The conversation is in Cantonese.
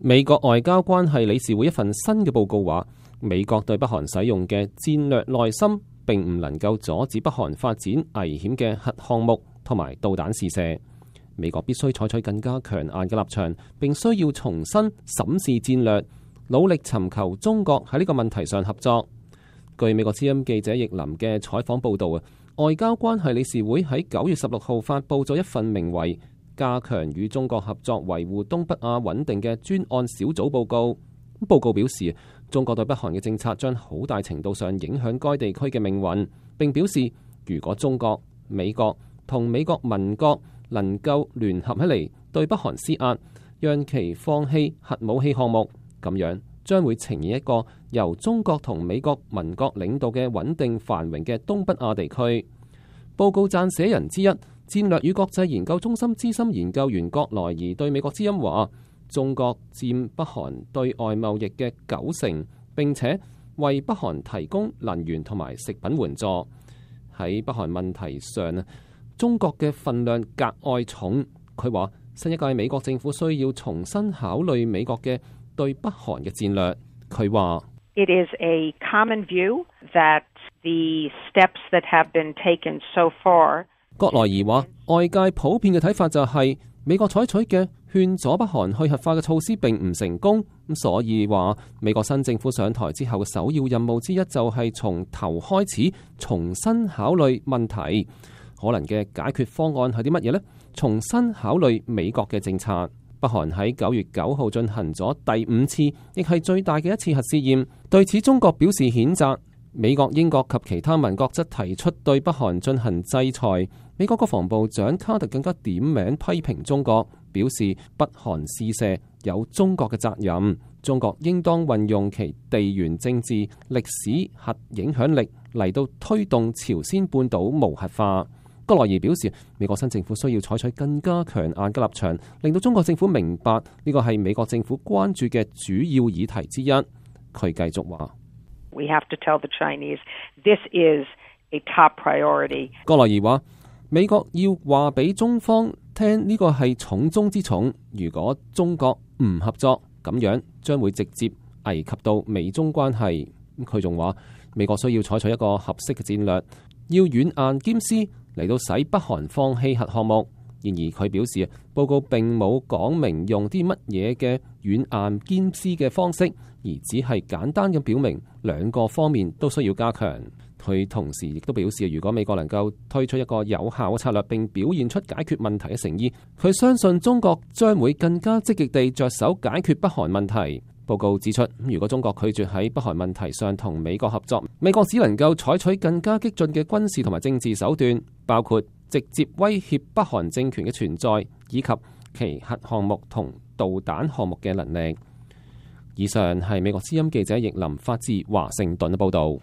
美國外交關係理事會一份新嘅報告話，美國對北韓使用嘅戰略耐心並唔能夠阻止北韓發展危險嘅核項目同埋導彈試射。美國必須採取更加強硬嘅立場，並需要重新審視戰略，努力尋求中國喺呢個問題上合作。據美國之音記者易林嘅採訪報導，外交關係理事會喺9月16號發布咗一份名為《加強與中國合作維護東北亞穩定》嘅專案小組報告。報告表示，中國對北韓嘅政策將好大程度上影響該地區嘅命運，並表示如果中國、美國同美國盟國能夠聯合起嚟對北韓施壓，讓其放棄核武器項目，咁樣將會呈現一個由中國同美國盟國領導嘅穩定繁榮嘅東北亞地區。報告撰寫人之一，戰略與國際研究中心資深研究員郭萊儀對美國之音話，中國佔北韓對外貿易嘅90%，並且為北韓提供能源同埋食品援助。喺北韓問題上，中國嘅份量格外重。佢話新一屆美國政府需要重新考慮美國嘅對北韓嘅戰略。佢話：It is a common view that the steps that have been taken so far。郭萊儀話，外界普遍嘅睇法就係美國採取嘅勸阻北韓去核化嘅措施並唔成功，所以話美國新政府上台之後嘅首要任務之一就係從頭開始重新考慮問題。可能嘅解決方案係啲乜嘢呢？重新考慮美國嘅政策。北韓喺9月9號進行咗第5次，亦係最大嘅一次核試驗。對此，中國表示譴責。美國、英國及其他盟國則提出對北韓進行制裁。美國國防部長卡特更加點名批評中國，表示北韓試射有中國嘅責任，中國應當運用其地緣政治、歷史、核影響力嚟到推動朝鮮半島無核化。郭萊儀表示，美國新政府需要採取更加強硬嘅立場，令到中國政府明白呢個係美國政府關注嘅主要議題之一。佢繼續話：We have to tell the Chinese this is a top priority。郭萊儀話：美國要話俾中方聽，呢個係重中之重。如果中國唔合作，咁樣將會直接危及到美中關係。佢仲話，美國需要採取一個合適嘅戰略，要軟硬兼施嚟到使北韓放棄核項目。然而佢表示，報告並冇講明用啲乜嘢嘅軟硬兼施嘅方式，而只係簡單嘅表明兩個方面都需要加強。佢同時亦都表示，如果美國能夠推出一個有效嘅策略，並表現出解決問題嘅誠意，佢相信中國將會更加積極地着手解決北韓問題。報告指出，如果中國拒絕喺北韓問題上同美國合作，美國只能夠採取更加激進嘅軍事同埋政治手段，包括直接威脅北韓政權嘅存在，以及其核項目同導彈項目嘅能力。以上係美國之音記者易林發自華盛頓嘅報導。